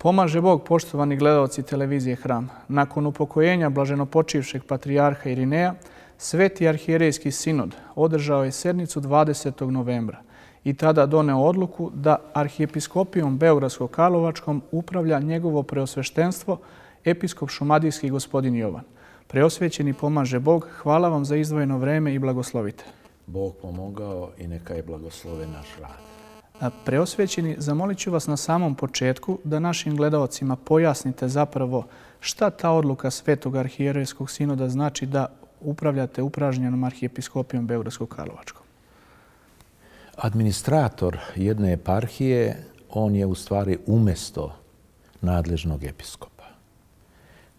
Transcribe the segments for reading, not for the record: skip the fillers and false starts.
Pomaže Bog, poštovani gledaoci televizije Hram. Nakon upokojenja blaženopočivšeg patrijarha Irineja, Sveti arhijerejski sinod održao je sednicu 20. novembra i tada doneo odluku da arhijepiskopijom Beogradsko-Karlovačkom upravlja njegovo preosveštenstvo episkop šumadijski gospodin Jovan. Preosvećeni pomaže Bog, hvala vam za izdvojeno vreme i blagoslovite. Bog pomogao i neka je blagoslove naš rad. Preosvećeni, zamolit ću vas na samom početku da našim gledaocima pojasnite zapravo šta ta odluka Svetog arhijerejskog sinoda znači da upravljate upražnjenom arhijepiskopijom Beogradsko-Karlovačkom. Administrator jedne eparhije, on je u stvari umjesto nadležnog episkopa.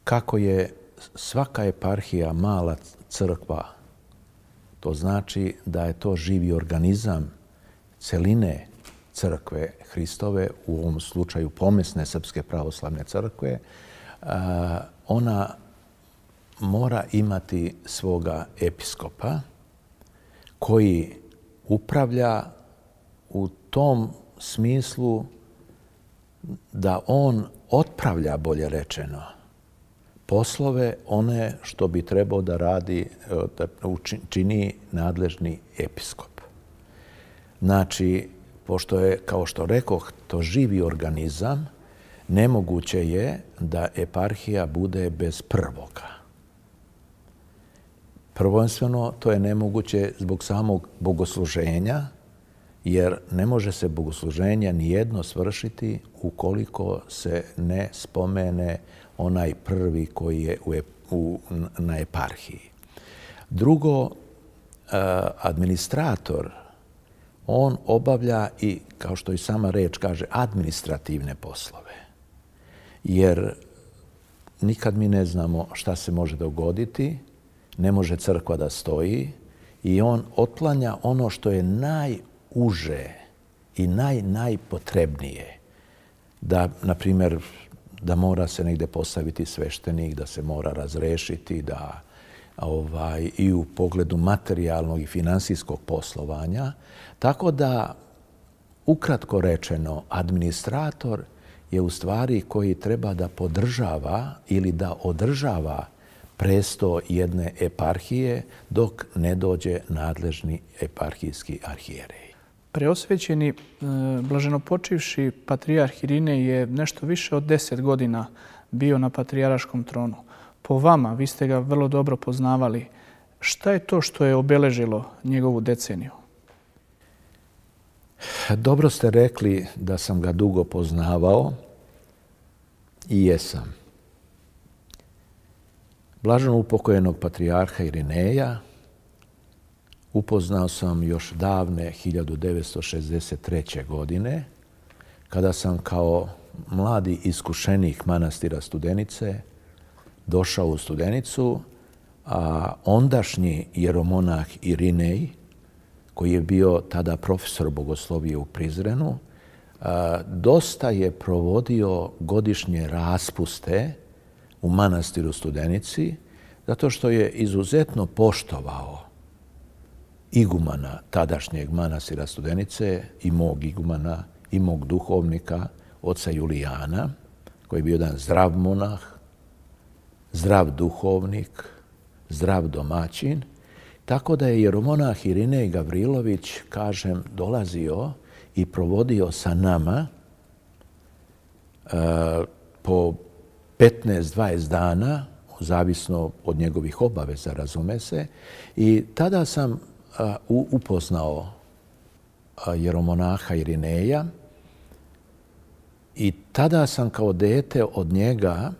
Kako je svaka eparhija mala crkva, to znači da je to živi organizam celine crkve Hristove, u ovom slučaju pomesne Srpske pravoslavne crkve, ona mora imati svoga episkopa koji upravlja u tom smislu da on otpravlja, bolje rečeno, poslove one što bi trebao da radi, da čini nadležni episkop. Znači, pošto je, kao što rekoh, to živi organizam, nemoguće je da eparhija bude bez prvoga. Prvenstveno, to je nemoguće zbog samog bogosluženja, jer ne može se bogosluženje nijedno svršiti ukoliko se ne spomene onaj prvi koji je na eparhiji. Drugo, administrator, on obavlja i, kao što i sama reč kaže, administrativne poslove. Jer nikad mi ne znamo šta se može dogoditi, ne može crkva da stoji i on otklanja ono što je najuže i najpotrebnije. Da, na primjer, da mora se negdje postaviti sveštenik, da se mora razrešiti, da i u pogledu materijalnog i finansijskog poslovanja. Tako da, ukratko rečeno, administrator je u stvari koji treba da podržava ili da održava presto jedne eparhije dok ne dođe nadležni eparhijski arhijerej. Preosvećeni, blaženopočivši patrijarh Irinej je nešto više od 10 godina bio na patrijaraškom tronu. Po vama, vi ste ga vrlo dobro poznavali, šta je to što je obeležilo njegovu deceniju? Dobro ste rekli da sam ga dugo poznavao i jesam. Blaženo upokojenog patrijarha Irineja upoznao sam još davne 1963. godine, kada sam kao mladi iskušenik manastira Studenice došao u Studenicu, a ondašnji jeromonah Irinej, koji je bio tada profesor bogoslovije u Prizrenu, dosta je provodio godišnje raspuste u manastiru Studenici, zato što je izuzetno poštovao igumana tadašnjeg manastira Studenice i mog igumana i mog duhovnika, oca Julijana, koji je bio jedan zdrav monah, zdrav duhovnik, zdrav domaćin. Tako da je jeromonah Irinej Gavrilović, kažem, dolazio i provodio sa nama po 15-20 dana, zavisno od njegovih obaveza, razume se. I tada sam upoznao jeromonaha Irineja i tada sam kao dete od njega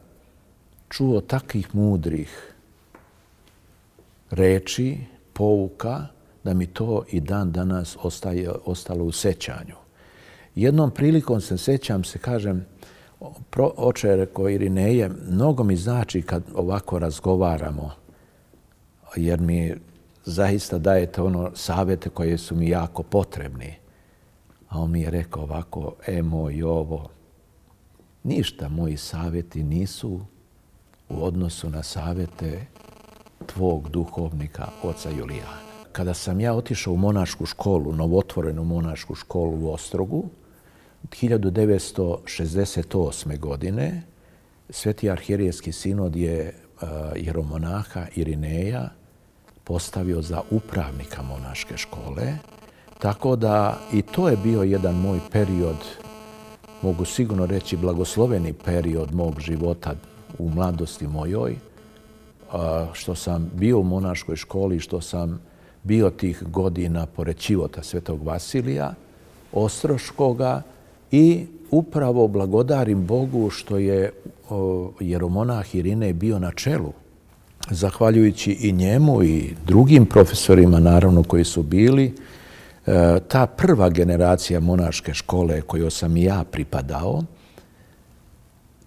čuo takvih mudrih reči, pouka, da mi to i dan danas ostalo u sećanju. Jednom prilikom se sećam se, kažem, oče je rekao Irineje, mnogo mi znači kad ovako razgovaramo, jer mi zaista dajete ono savjete koje su mi jako potrebni. A on mi je rekao ovako, moj Jovo, ništa moji savjeti nisu u odnosu na savjete tvog duhovnika, oca Julijana. Kada sam ja otišao u monašku školu, novotvorenu monašku školu u Ostrogu, 1968. godine Sveti arhijerejski sinod je jeromonaha Irineja postavio za upravnika monaške škole, tako da i to je bio jedan moj period, mogu sigurno reći blagosloveni period mog života u mladosti mojoj, što sam bio u monaškoj školi, što sam bio tih godina pored Ćivota Svetog Vasilija Ostroškoga i upravo blagodarim Bogu što je jeromonah Irinej bio na čelu. Zahvaljujući i njemu i drugim profesorima, naravno, koji su bili, ta prva generacija monaške škole kojoj sam i ja pripadao,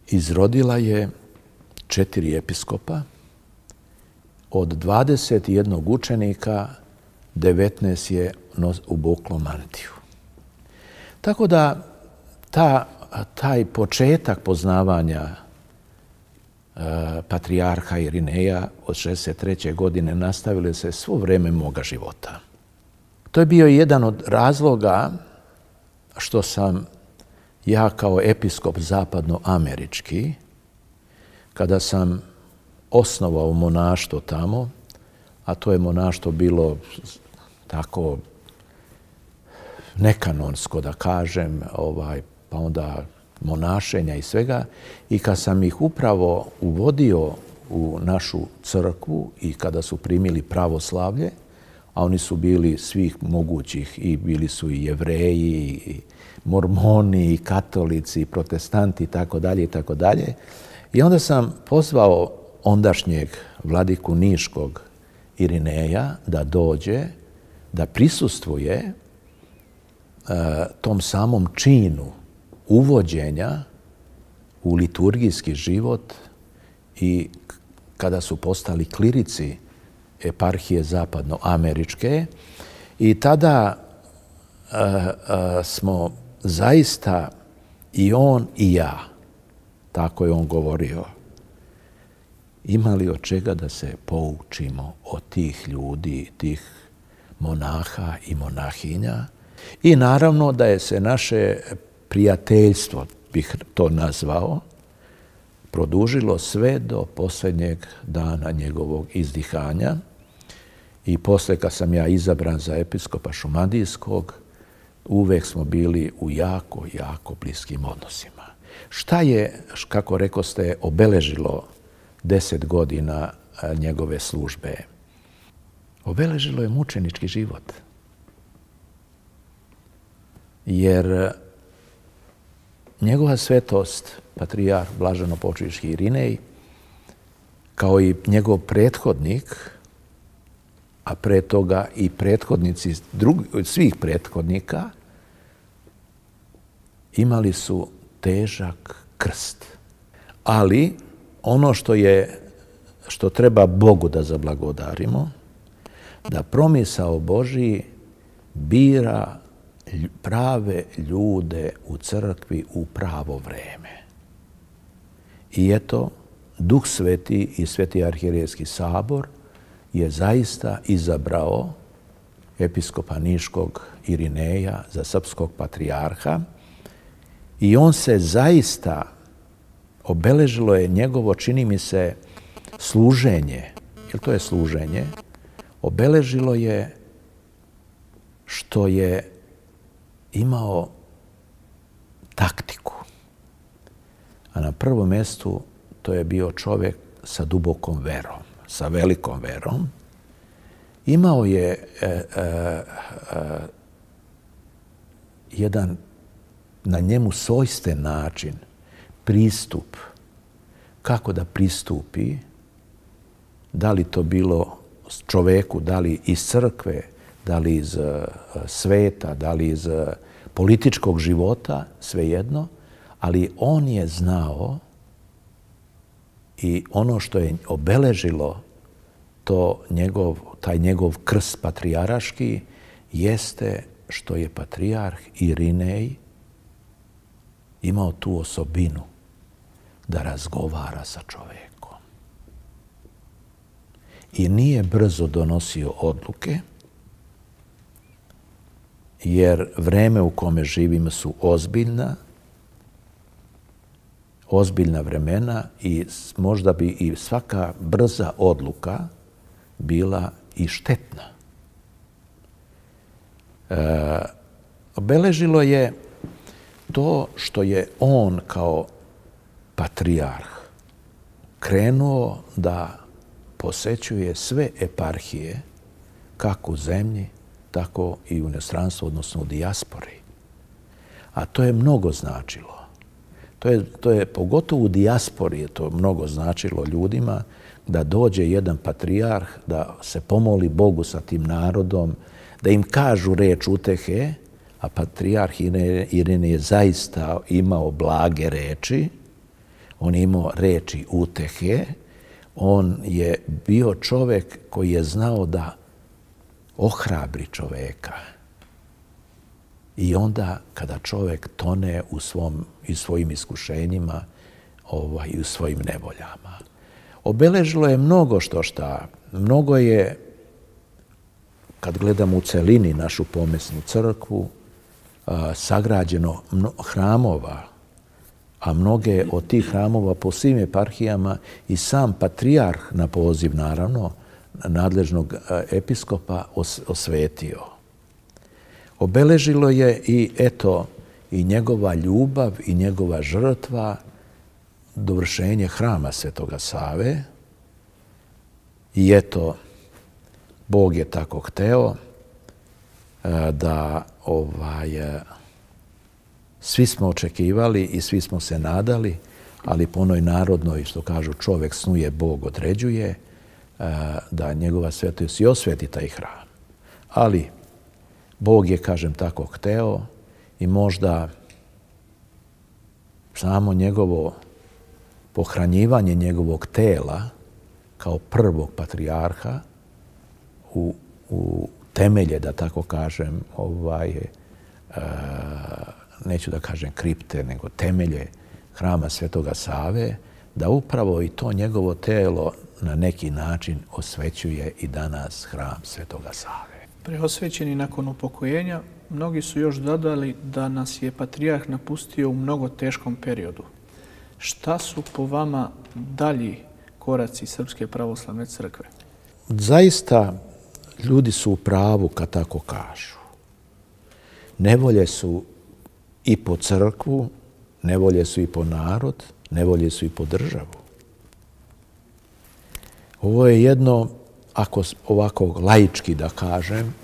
izrodila je 4 episkopa. Od 21 učenika, 19 je obuklo mantiju. Tako da taj početak poznavanja patrijarha Irineja od 63. godine nastavili se svo vrijeme moga života. To je bio jedan od razloga što sam ja kao episkop zapadnoamerički, kada sam osnovao monaštvo tamo, a to je monaštvo bilo tako nekanonsko, da kažem, pa onda monašenja i svega, i kad sam ih upravo uvodio u našu crkvu i kada su primili pravoslavlje, a oni su bili svih mogućih, i bili su i Jevreji, i mormoni, i katolici, i protestanti, i tako dalje, i tako dalje. I onda sam pozvao ondašnjeg vladiku Niškog Irineja da dođe, da prisustvuje tom samom činu uvođenja u liturgijski život i kada su postali klirici eparhije zapadnoameričke. I tada smo zaista i on i ja, tako je on govorio, imali od čega da se poučimo od tih ljudi, tih monaha i monahinja. I naravno da je se naše prijateljstvo, bih to nazvao, produžilo sve do posljednjeg dana njegovog izdihanja. I poslije, kad sam ja izabran za episkopa Šumadijskog, uvek smo bili u jako, jako bliskim odnosima. Šta je, kako rekoste, obeležilo 10 godina njegove službe? Obeležilo je mučenički život. Jer njegova svetost, patrijarh blaženopočivši Irinej, kao i njegov prethodnik, a pre toga i prethodnici svih prethodnika, imali su težak krst. Ali ono što treba Bogu da zablagodarimo, da promisao Božiji bira prave ljude u crkvi u pravo vreme. I eto, Duh Sveti i Sveti arhijerejski sabor je zaista izabrao episkopa Niškog Irineja za srpskog patrijarha i on se zaista, obeležilo je njegovo, čini mi se, služenje, jer to je služenje, obeležilo je što je imao taktiku. A na prvom mjestu to je bio čovjek sa dubokom verom, sa velikom verom. Imao je jedan na njemu svojstven način, pristup, kako da pristupi, da li to bilo čoveku, da li iz crkve, da li iz sveta, da li iz političkog života, svejedno, ali on je znao i ono što je obeležilo taj njegov krst patrijaraški jeste što je patrijarh Irinej imao tu osobinu da razgovara sa čovekom. I nije brzo donosio odluke jer vreme u kome živimo su ozbiljna vremena i možda bi i svaka brza odluka bila i štetna. Obeležilo je to što je on kao patrijarh krenuo da posećuje sve eparhije, kako u zemlji, tako i u inostranstvu, odnosno u dijaspori. A to je mnogo značilo. To je pogotovo u dijaspori je to mnogo značilo ljudima da dođe jedan patrijarh, da se pomoli Bogu sa tim narodom, da im kažu reč utehe, a patrijarh Irinej je zaista imao blage reči, on je imao reči utehe, on je bio čovjek koji je znao da ohrabri čovjeka. I onda kada čovjek tone u svojim iskušenjima i u svojim nevoljama. Obeležilo je mnogo šta. Mnogo je, kad gledamo u celini našu pomesnu crkvu, sagrađeno hramova, a mnoge od tih hramova po svim eparhijama i sam patrijarh na poziv, naravno, nadležnog episkopa osvetio. Obeležilo je i njegova ljubav i njegova žrtva, dovršenje hrama Svetoga Save. I Bog je tako hteo da svi smo očekivali i svi smo se nadali, ali po onoj narodnoj, što kažu, čovjek snuje, Bog određuje, da njegova svetost i osveti taj hram. Ali Bog je, kažem, tako hteo i možda samo njegovo pohranjivanje njegovog tela kao prvog patrijarha u temelje, da tako kažem, neću da kažem kripte, nego temelje hrama Svetoga Save, da upravo i to njegovo telo na neki način osvećuje i danas hram Svetoga Save. Preosvećeni nakon upokojenja, mnogi su još dodali da nas je patrijarh napustio u mnogo teškom periodu. Šta su po vama dalji koraci Srpske pravoslavne crkve? Zaista, ljudi su u pravu kad tako kažu. Nevolje su i po crkvu, nevolje su i po narod, nevolje su i po državu. Ovo je jedno, ako ovako laički da kažem,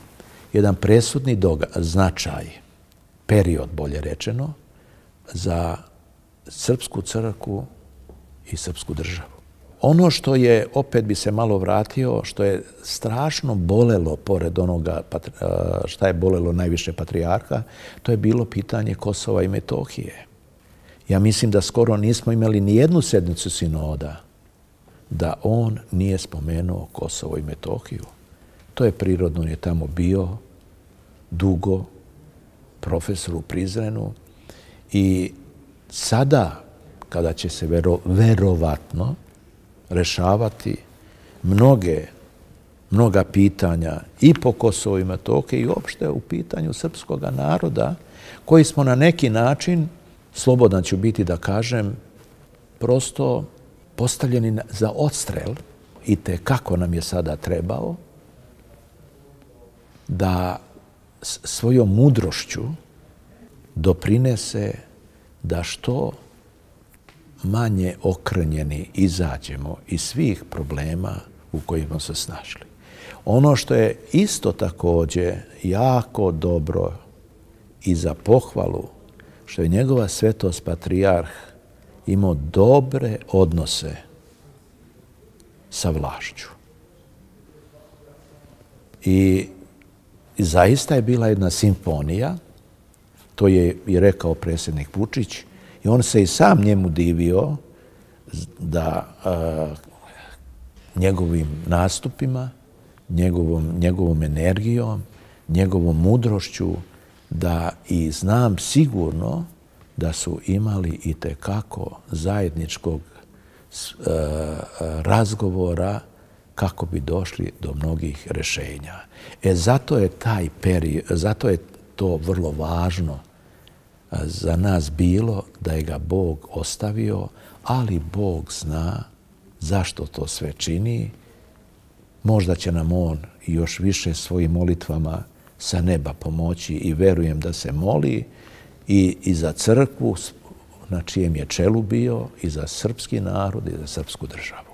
jedan presudni značaj, period bolje rečeno, za srpsku crkvu i srpsku državu. Ono što je, opet bi se malo vratio, što je strašno bolelo pored onoga šta je bolelo najviše patrijarha, to je bilo pitanje Kosova i Metohije. Ja mislim da skoro nismo imali ni jednu sednicu sinoda da on nije spomenuo Kosovo i Metohiju. To je prirodno, on je tamo bio dugo, profesor u Prizrenu i sada, kada će se verovatno rešavati mnoga pitanja i po Kosovo i Metohiji i uopšte u pitanju srpskog naroda, koji smo na neki način, slobodan ću biti da kažem, prosto postavljeni za odstrel i kako nam je sada trebao da svojom mudrošću doprinese da što manje okrnjeni izađemo iz svih problema u kojima se snašli. Ono što je isto također jako dobro i za pohvalu, što je njegova svetost patrijarh imao dobre odnose sa vlašću. I zaista je bila jedna simfonija, to je i rekao predsjednik Vučić, i on se i sam njemu divio da njegovim nastupima, njegovom energijom, njegovom mudrošću, da i znam sigurno da su imali i tekako zajedničkog razgovora kako bi došli do mnogih rešenja. Zato je to vrlo važno za nas bilo, da je ga Bog ostavio, ali Bog zna zašto to sve čini. Možda će nam on još više svojim molitvama sa neba pomoći i verujem da se moli i za crkvu na čijem je čelu bio, i za srpski narod i za srpsku državu.